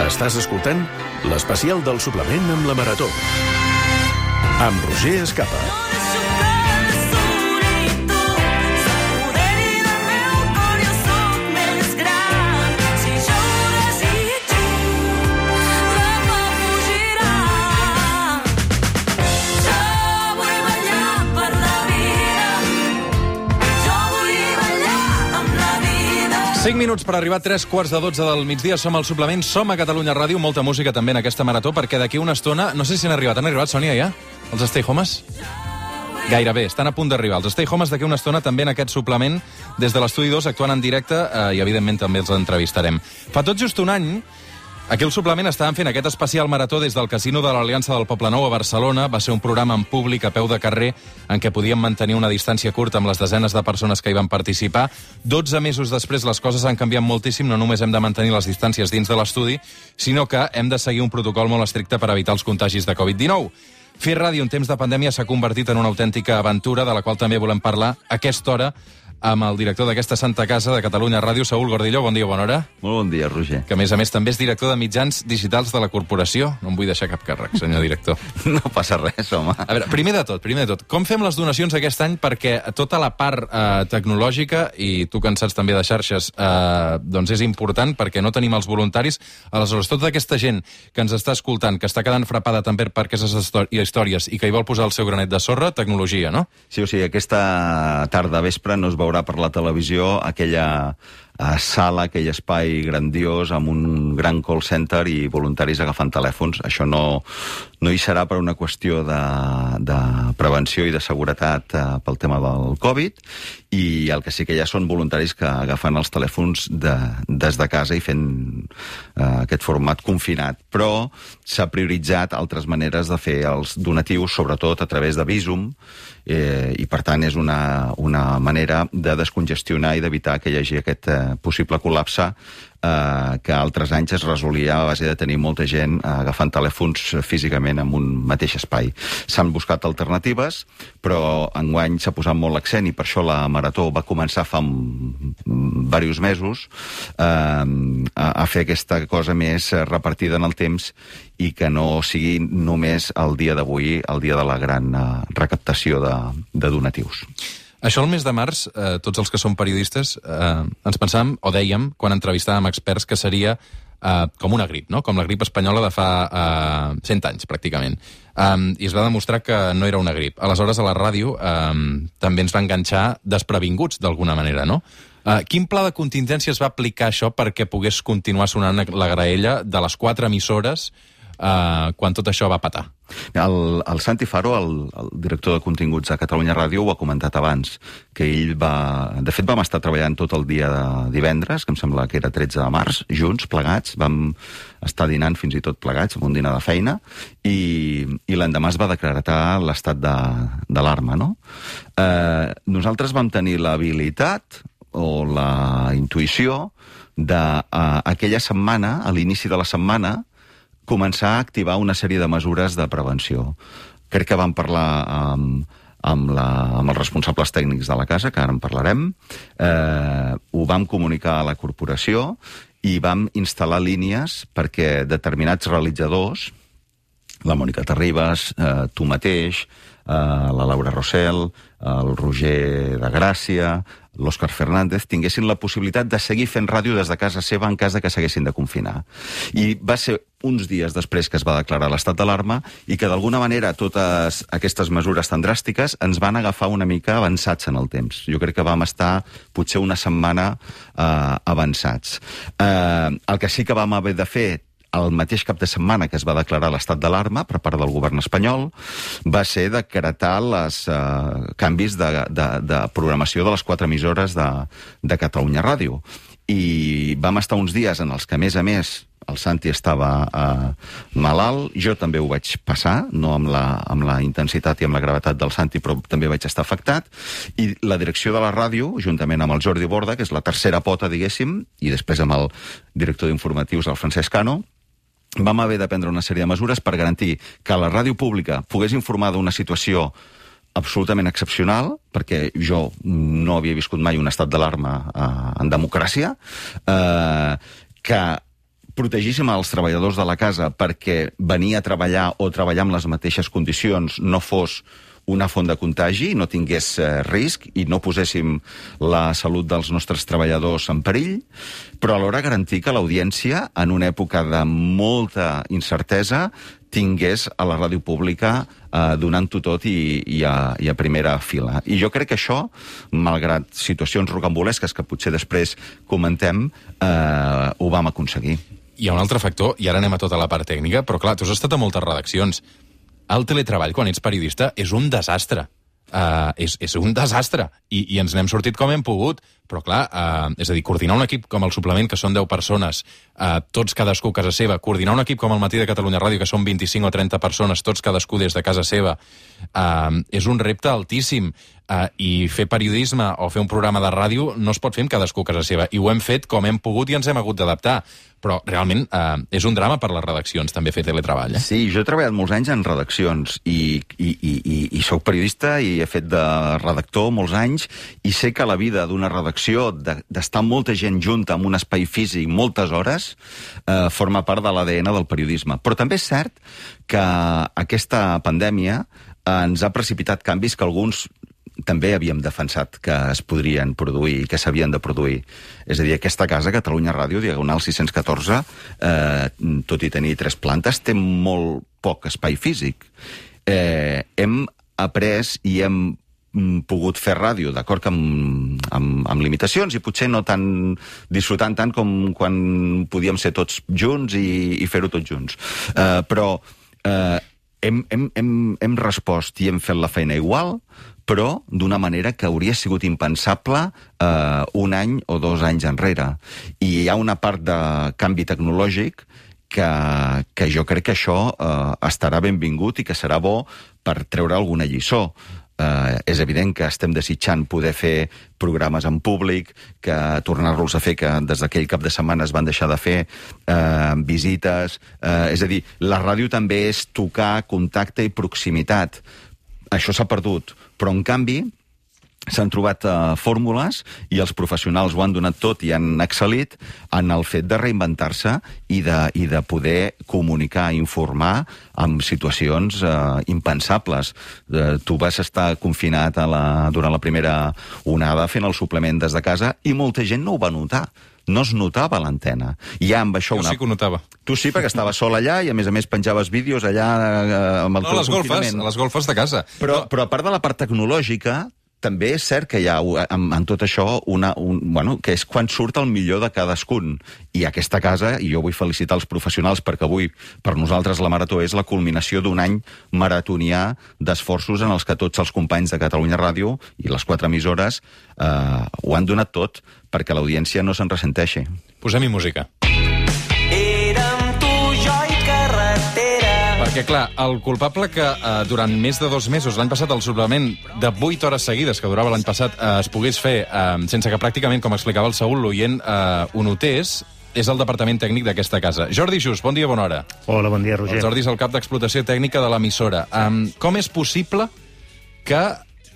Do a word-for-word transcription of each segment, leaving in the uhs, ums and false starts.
Estàs escoltant l'especial del suplement amb la Marató. Amb Roger Escapa. cinc minuts per arribar a tres quarts de dotze del migdia. Som al suplement, som a Catalunya Ràdio. Molta música també en aquesta marató, perquè d'aquí una estona... No sé si han arribat. Han arribat, Sònia, ja? Els Stay Homes? Gairebé, estan a punt d'arribar. Els Stay Homes d'aquí una estona també en aquest suplement, des de l'Estudi dos, actuant en directe, eh, i evidentment també els entrevistarem. Fa tot just un any... Aquí al suplement estàvem fent aquest especial marató des del Casino de l'Aliança del Poblenou a Barcelona. Va ser un programa en públic, a peu de carrer, en què podíem mantenir una distància curta amb les desenes de persones que hi van participar. dotze mesos després les coses han canviat moltíssim. No només hem de mantenir les distàncies dins de l'estudi, sinó que hem de seguir un protocol molt estricte per evitar els contagis de covid dinou. Fer ràdio en temps de pandèmia s'ha convertit en una autèntica aventura, de la qual també volem parlar a aquesta hora amb el director d'aquesta Santa Casa de Catalunya Ràdio, Saúl Gordillo. Bon dia, bona hora. Molt bon dia, Roger. Que, a més a més, també és director de mitjans digitals de la corporació. No em vull deixar cap càrrec, senyor director. No passa res, home. A veure, primer de tot, primer de tot, com fem les donacions aquest any? Perquè tota la part eh, tecnològica, i tu que en saps també de xarxes, eh, doncs és important, perquè no tenim els voluntaris. Aleshores, tota aquesta gent que ens està escoltant, que està quedant frapada també per aquestes històries i que hi vol posar el seu granet de sorra, tecnologia, no? Sí, o sigui, aquesta tarda vespre no es veurà per la televisió aquella a sala, aquell espai grandiós amb un gran call center i voluntaris agafant telèfons. Això no, no hi serà per una qüestió de, de prevenció i de seguretat eh, pel tema del Covid, i el que sí que hi ha són voluntaris que agafen els telèfons de, des de casa i fent eh, aquest format confinat. Però s'ha prioritzat altres maneres de fer els donatius, sobretot a través de Bizum, eh, i per tant és una, una manera de descongestionar i d'evitar que hi hagi aquest eh, possible col·lapse eh, que altres anys es resolia a base de tenir molta gent eh, agafant telèfons físicament en un mateix espai. S'han buscat alternatives, però enguany s'ha posat molt l'accent, i per això la Marató va començar fa diversos mesos eh, a, a fer aquesta cosa més repartida en el temps i que no sigui només el dia d'avui, el dia de la gran eh, recaptació de, de donatius. Això el mes de març, eh, tots els que som periodistes, eh, ens pensàvem, o dèiem, quan entrevistàvem experts, que seria eh, com una grip, no? Com la grip espanyola de fa eh, cent anys, pràcticament. Um, I es va demostrar que no era una grip. Aleshores, a la ràdio um, també ens va enganxar desprevinguts, d'alguna manera, no? Uh, quin pla de contingència es va aplicar això perquè pogués continuar sonant la graella de les quatre emissores uh, quan tot això va patar? El, el Santi Faro, el, el director de continguts de Catalunya Ràdio, ho ha comentat abans, que ell va... De fet, vam estar treballant tot el dia de divendres, que em sembla que era tretze de març, junts, plegats, vam estar dinant fins i tot plegats, amb un dinar de feina, i, i l'endemà es va decretar l'estat d'alarma, no? Eh, nosaltres vam tenir l'habilitat o la intuïció d'aquella setmana, a l'inici de la setmana, començar a activar una sèrie de mesures de prevenció. Crec que vam parlar amb, amb, la, amb els responsables tècnics de la casa, que ara en parlarem, eh, ho vam comunicar a la corporació i vam instal·lar línies perquè determinats realitzadors, la Mònica Terribas, eh, tu mateix, eh, la Laura Rossell, el Roger de Gràcia, l'Òscar Fernández, tinguessin la possibilitat de seguir fent ràdio des de casa seva en cas de que s'haguessin de confinar. I va ser uns dies després que es va declarar l'estat d'alarma i que d'alguna manera totes aquestes mesures tan dràstiques ens van agafar una mica avançats en el temps. Jo crec que vam estar potser una setmana eh, avançats. Eh, el que sí que vam haver de fer el mateix cap de setmana que es va declarar l'estat d'alarma per part del govern espanyol va ser decretar els eh, canvis de, de, de programació de les quatre emissores de, de Catalunya Ràdio. I vam estar uns dies en els que, a més a més, el Santi estava eh, malalt, jo també ho vaig passar, no amb la, amb la intensitat i amb la gravetat del Santi, però també vaig estar afectat, i la direcció de la ràdio, juntament amb el Jordi Borda, que és la tercera pota, diguéssim, i després amb el director d'informatius, el Francesc Cano, vam haver de prendre una sèrie de mesures per garantir que la ràdio pública pogués informar d'una situació absolutament excepcional, perquè jo no havia viscut mai un estat d'alarma eh, en democràcia, eh, que protegíssim els treballadors de la casa perquè venir a treballar o treballar amb les mateixes condicions no fos una font de contagi, no tingués eh, risc i no poséssim la salut dels nostres treballadors en perill, però alhora garantir que l'audiència, en una època de molta incertesa, tingués a la ràdio pública eh, donant-ho tot i, i, a, i a primera fila. I jo crec que això, malgrat situacions rocambolesques que potser després comentem, eh, ho vam aconseguir. Hi ha un altre factor, i ara anem a tota la part tècnica, però clar, tu has estat a moltes redaccions. El teletreball, quan ets periodista, és un desastre. Uh, és, és un desastre. I, I ens n'hem sortit com hem pogut. Però, clar, uh, és a dir, coordinar un equip com el Suplement, que són deu persones, uh, tots cadascú a casa seva, coordinar un equip com el Matí de Catalunya Ràdio, que són vint-i-cinc o trenta persones, tots cadascú des de casa seva, uh, és un repte altíssim. Uh, I fer periodisme o fer un programa de ràdio no es pot fer amb cadascú a casa seva. I ho hem fet com hem pogut i ens hem hagut d'adaptar. Però realment uh, és un drama per les redaccions, també fer teletreball. Eh? Sí, jo he treballat molts anys en redaccions i, i, i, i, i soc periodista i he fet de redactor molts anys i sé que la vida d'una redacció, d'estar de, molta gent junta en un espai físic moltes hores, eh, forma part de l'A D N del periodisme. Però també és cert que aquesta pandèmia ens ha precipitat canvis que alguns també havíem defensat que es podrien produir i que s'havien de produir. És a dir, aquesta casa, Catalunya Ràdio, Diagonal sis-cents catorze, eh, tot i tenir tres plantes, té molt poc espai físic. Eh, hem après i hem pogut fer ràdio, d'acord, amb, amb, amb limitacions i potser no tan disfrutant tant com quan podíem ser tots junts i, i fer-ho tots junts. Eh, però eh, hem, hem, hem, hem respost i hem fet la feina igual, però d'una manera que hauria sigut impensable eh, un any o dos anys enrere. I hi ha una part de canvi tecnològic que, que jo crec que això eh, estarà benvingut i que serà bo per treure alguna lliçó. Uh, és evident que estem desitjant poder fer programes en públic, que tornar-los a fer, que des d'aquell cap de setmana es van deixar de fer, uh, visites... Uh, és a dir, la ràdio també és tocar, contacte i proximitat. Això s'ha perdut, però en canvi s'han trobat uh, fórmules i els professionals ho han donat tot i han excel·lit en el fet de reinventar-se i de, i de poder comunicar, informar en situacions uh, impensables. Uh, tu vas estar confinat a la, durant la primera onada fent el suplement des de casa i molta gent no ho va notar. No es notava l'antena. I ja amb això... Jo una... sí que ho notava. Tu sí, perquè estaves sol allà i a més a més penjaves vídeos allà eh, amb el no, teu les golfes, confinament. les golfes de casa. Però, no. però a part de la part tecnològica, també és cert que hi ha en, en tot això una, un, bueno, que és quan surt el millor de cadascun. I aquesta casa, i jo vull felicitar els professionals perquè avui per nosaltres la Marató és la culminació d'un any maratonià d'esforços en els que tots els companys de Catalunya Ràdio i les quatre emissores eh, ho han donat tot perquè l'audiència no se'n ressenteixi. Posem-hi música. Perquè, clar, el culpable que eh, durant més de dos mesos, l'any passat, el suplement de vuit hores seguides que durava l'any passat eh, es pogués fer eh, sense que pràcticament, com explicava el Saúl, l'oient eh, ho notés, és el departament tècnic d'aquesta casa. Jordi Just, bon dia, bona hora. Hola, bon dia, Roger. El Jordi és el cap d'explotació tècnica de l'emissora. Um, com és possible que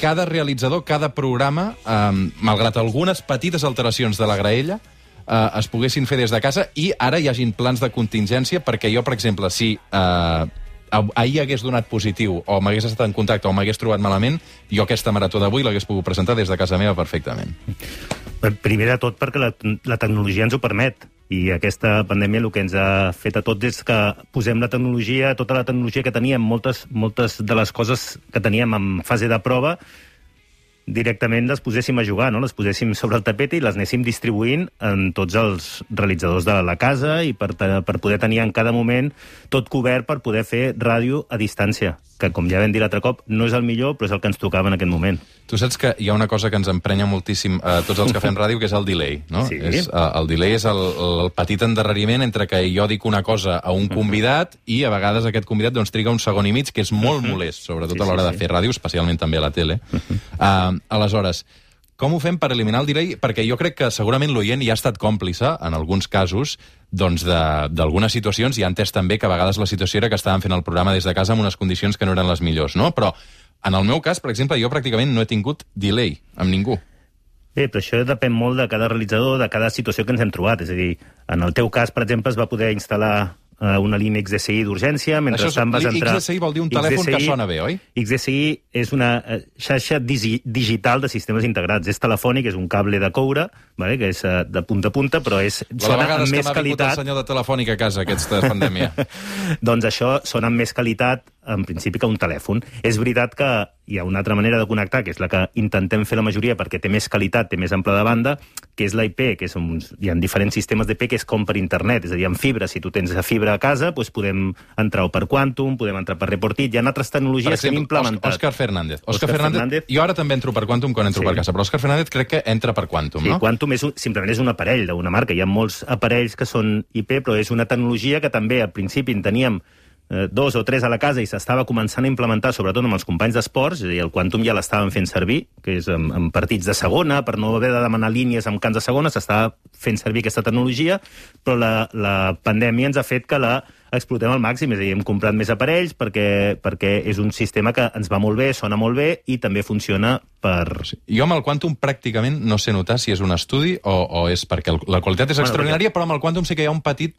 cada realitzador, cada programa, um, malgrat algunes petites alteracions de la graella, uh, es poguessin fer des de casa i ara hi hagin plans de contingència perquè jo, per exemple, si... Uh, ahir hagués donat positiu o m'hagués estat en contacte o m'hagués trobat malament, jo aquesta marató d'avui l'hagués pogut presentar des de casa meva perfectament. Primer de tot perquè la, la tecnologia ens ho permet i aquesta pandèmia el que ens ha fet a tots és que posem la tecnologia, tota la tecnologia que teníem, moltes, moltes de les coses que teníem en fase de prova, directament les poséssim a jugar, no? Les poséssim sobre el tapet i les anéssim distribuint en tots els realitzadors de la casa i per, per poder tenir en cada moment tot cobert per poder fer ràdio a distància, que com ja vam dir l'altre cop, no és el millor, però és el que ens tocava en aquest moment. Tu saps que hi ha una cosa que ens emprenya moltíssim a tots els que fem ràdio, que és el delay, no? Sí. És, uh, el delay és el, el petit endarreriment entre que jo dic una cosa a un convidat i a vegades aquest convidat doncs, triga un segon i mig, que és molt molest, sobretot sí, a l'hora sí, de sí. fer ràdio, especialment també a la tele. Uh, aleshores, com ho fem per eliminar el delay? Perquè jo crec que segurament l'oient ja ha estat còmplice, en alguns casos, doncs d'algunes situacions, i ha entès també que a vegades la situació era que estàvem fent el programa des de casa amb unes condicions que no eren les millors, no? Però en el meu cas, per exemple, jo pràcticament no he tingut delay amb ningú. Bé, però això depèn molt de cada realitzador, de cada situació que ens hem trobat. És a dir, en el teu cas, per exemple, es va poder instal·lar uh, una línia X D S I d'urgència, mentre Això és, vas entrar... X D S I vol dir un telèfon que sona bé, oi? X D S I és una uh, xarxa digi digital de sistemes integrats. És telefònic, és un cable de coure, vale? Que és uh, de punta a punta, però és, sona amb més qualitat... el senyor de Telefònica a casa aquesta pandèmia. Doncs això sona amb més qualitat, en principi, que un telèfon. És veritat que hi ha una altra manera de connectar, que és la que intentem fer la majoria perquè té més qualitat, té més ample de banda, que és l'I P, que és uns, hi ha diferents sistemes d'I P que és com per internet, és a dir, amb fibra. Si tu tens fibra a casa, doncs podem entrar per Quantum, podem entrar per Reportit. Hi ha altres tecnologies per exemple, que hem implementat. Òscar Fernández. Òscar Fernández. Fernández. Jo ara també entro per Quantum quan entro sí. per casa, però Òscar Fernández crec que entra per Quantum, sí, no? Quantum és un, simplement és un aparell d'una marca. Hi ha molts aparells que són I P, però és una tecnologia que també al principi en teníem eh, dos o tres a la casa i s'estava començant a implementar, sobretot amb els companys d'esports, és a dir, el Quantum ja l'estaven fent servir, que és en, en partits de segona, per no haver de demanar línies en camps de segona, s'estava fent servir aquesta tecnologia, però la, la pandèmia ens ha fet que la explotem al màxim, és a dir, hem comprat més aparells perquè, perquè és un sistema que ens va molt bé, sona molt bé i també funciona per... Jo amb el Quantum pràcticament no sé notar si és un estudi o, o és perquè el, la qualitat és extraordinària, bueno, perquè... però amb el Quantum sí que hi ha un petit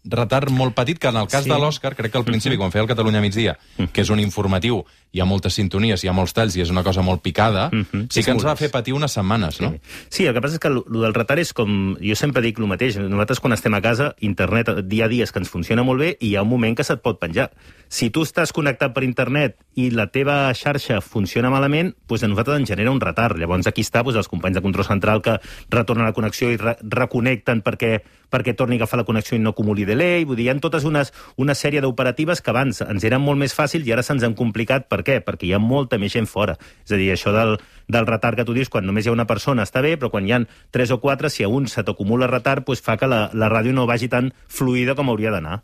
retard molt petit, que en el cas sí. de l'Òscar, crec que al principi, uh-huh. quan feia el Catalunya migdia, uh-huh. que és un informatiu, hi ha moltes sintonies, hi ha molts talls i és una cosa molt picada, uh-huh. sí que ens va fer patir unes setmanes, sí. no? Sí, el que passa és que el del retard és com... Jo sempre dic el mateix, nosaltres quan estem a casa, internet, dia a dia és que ens funciona molt bé i hi ha un moment que se't pot penjar. Si tu estàs connectat per internet i la teva xarxa funciona malament, doncs a nosaltres ens genera un retard. Llavors aquí està doncs, els companys de control central que retornen la connexió i re reconnecten perquè, perquè torni a agafar la connexió i no acumuli delay. Vull dir, hi ha totes unes, una sèrie d'operatives que abans ens eren molt més fàcils i ara se'ns han complicat. Per què? Perquè hi ha molta més gent fora. És a dir, això del, del retard que tu dius, quan només hi ha una persona està bé, però quan hi ha tres o quatre, si a un se t'acumula retard, doncs fa que la, la ràdio no vagi tan fluida com hauria d'anar.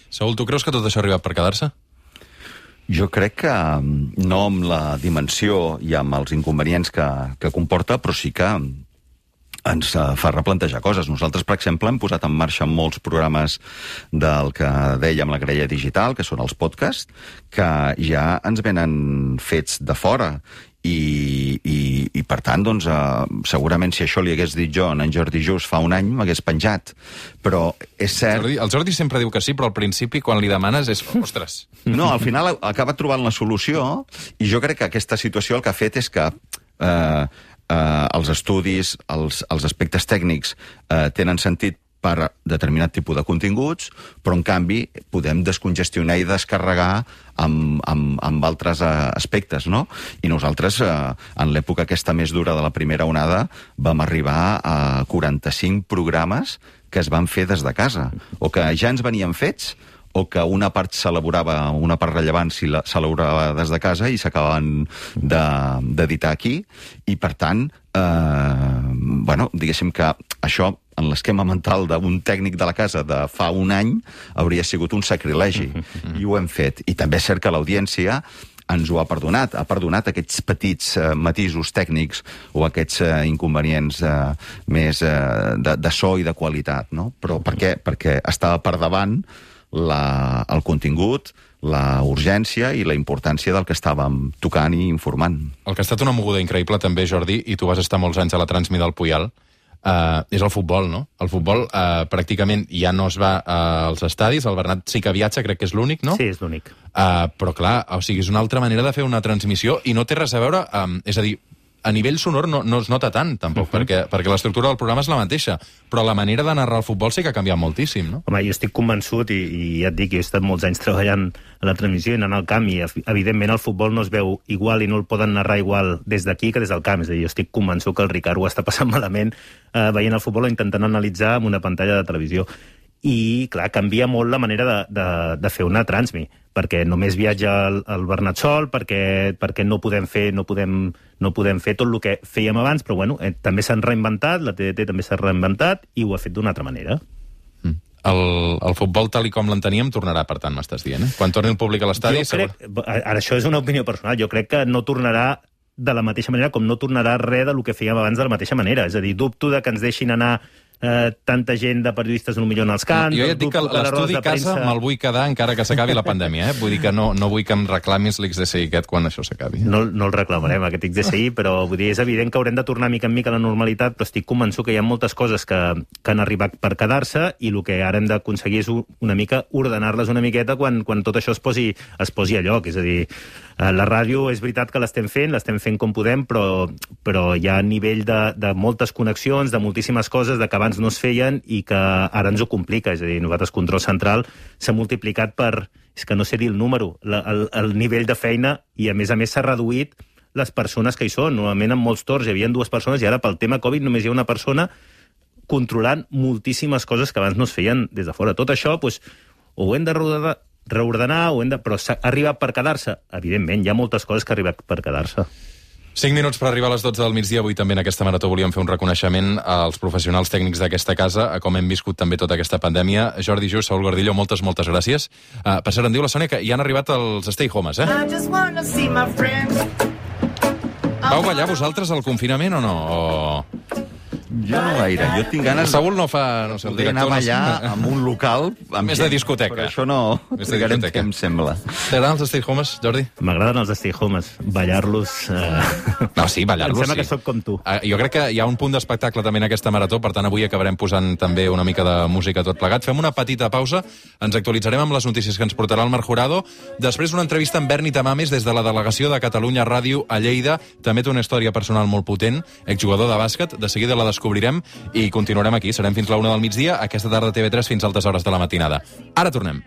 Saúl, tu creus que tot això ha arribat per quedar-se? Jo crec que no amb la dimensió i amb els inconvenients que, que comporta, però sí que ens fa replantejar coses. Nosaltres, per exemple, hem posat en marxa molts programes del que dèiem la grella digital, que són els podcasts, que ja ens venen fets de fora. I, i, i per tant, doncs, eh, segurament si això li hagués dit jo en Jordi Just fa un any, m'hagués penjat. Però és cert... Jordi, el Jordi sempre diu que sí, però al principi, quan li demanes, és... Ostres! No, al final acaba trobant la solució i jo crec que aquesta situació el que ha fet és que eh, eh, els estudis, els, els aspectes tècnics eh, tenen sentit per determinat tipus de continguts, però en canvi podem descongestionar i descarregar amb, amb, amb altres uh, aspectes, no? I nosaltres, uh, en l'època aquesta més dura de la primera onada, vam arribar a quaranta-cinc programes que es van fer des de casa, o que ja ens venien fets, o que una part s'elaborava, una part rellevant s'elaborava des de casa i s'acabaven d'editar aquí, i per tant, eh, bueno, diguéssim que això en l'esquema mental d'un tècnic de la casa de fa un any hauria sigut un sacrilegi, i ho hem fet. I també és cert que l'audiència ens ho ha perdonat, ha perdonat aquests petits eh, matisos tècnics o aquests eh, inconvenients eh, més eh, de, de so i de qualitat, no? Però per què? Perquè estava per davant la, el contingut, la urgència i la importància del que estàvem tocant i informant. El que ha estat una moguda increïble també, Jordi, i tu vas estar molts anys a la Transmi del Puyal, Uh, és el futbol, no? El futbol uh, pràcticament ja no es va uh, als estadis, el Bernat sí que viatja, crec que és l'únic, no? Sí, és l'únic. Uh, però clar, o sigui, és una altra manera de fer una transmissió i no té res a veure, um, és a dir, a nivell sonor no, no es nota tant, tampoc, uh-huh. perquè, perquè l'estructura del programa és la mateixa, però la manera de narrar el futbol sí que ha canviat moltíssim, no? Home, jo estic convençut, i, i ja et dic, jo he estat molts anys treballant a la transmissió i anant al camp, i evidentment el futbol no es veu igual i no el poden narrar igual des d'aquí que des del camp. És a dir, jo estic convençut que el Ricard ho està passant malament eh, veient el futbol o intentant analitzar amb una pantalla de televisió. I, clar, canvia molt la manera de, de, de fer una transmi, perquè només viatja el, el Bernat sol, perquè, perquè no podem fer no podem, no podem fer tot el que fèiem abans, però bueno, eh, també s'han reinventat, la T D T també s'ha reinventat, i ho ha fet d'una altra manera. Mm. El, el futbol tal i com l'enteníem tornarà, per tant, m'estàs dient, eh? Quan torni el públic a l'estadi... Jo crec, ara això és una opinió personal, jo crec que no tornarà de la mateixa manera com no tornarà res del que fèiem abans de la mateixa manera. És a dir, dubto de que ens deixin anar eh, tanta gent de periodistes potser en els camps... Jo ja et dic que l'estudi casa premsa... me'l vull quedar encara que s'acabi la pandèmia, eh? Vull dir que no, no vull que em reclamis l'X D C I aquest quan això s'acabi. No, no el reclamarem, aquest X D C I, però vull dir, és evident que haurem de tornar mica en mica a la normalitat, però estic convençut que hi ha moltes coses que, que han arribat per quedar-se i el que ara hem d'aconseguir és una mica ordenar-les una miqueta quan, quan tot això es posi, es posi a lloc. És a dir, la ràdio és veritat que l'estem fent, l'estem fent com podem, però, però hi ha nivell de, de moltes connexions, de moltíssimes coses de que abans no es feien i que ara ens ho complica. És a dir, nosaltres, Control Central, s'ha multiplicat per... És que no sé dir el número, la, el, el nivell de feina, i a més a més s'ha reduït les persones que hi són. Normalment en molts torns hi havia dues persones i ara pel tema Covid només hi ha una persona controlant moltíssimes coses que abans no es feien des de fora. Tot això, doncs, o ho hem de reordenar, reordenar o hem de... però s'ha arribat per quedar-se? Evidentment, hi ha moltes coses que han arribat per quedar-se. Cinc minuts per arribar a les dotze del migdia. Avui també en aquesta marató volíem fer un reconeixement als professionals tècnics d'aquesta casa, a com hem viscut també tota aquesta pandèmia. Jordi Just, Saúl Gordillo, moltes, moltes gràcies. Uh, per cert, em diu la Sònia que ja han arribat els Stay Homes, eh? Vau ballar vosaltres al confinament o no? O... Jo no gaire, jo tinc ganes... Saúl no fa, no sé, el d'anar director... a ballar no... en un local... Amb Més gent, de discoteca. Però això no... Més de Trigarem discoteca. temps, sembla. T'agraden els Stay Homes, Jordi? M'agraden els Stay Homes. Ballar-los... Eh... No, sí, ballar-los, em sembla sí. que sóc com tu. Uh, jo crec que hi ha un punt d'espectacle també en aquesta marató, per tant avui acabarem posant també una mica de música tot plegat. Fem una petita pausa, ens actualitzarem amb les notícies que ens portarà el Marc Jurado. Després una entrevista amb Berni Tamames des de la delegació de Catalunya Ràdio a Lleida. També té una història personal molt potent, exjugador de bàsquet. De seguida la descobrirem i continuarem aquí. Serem fins la una del migdia, aquesta tarda T V tres fins a altes hores de la matinada. Ara tornem.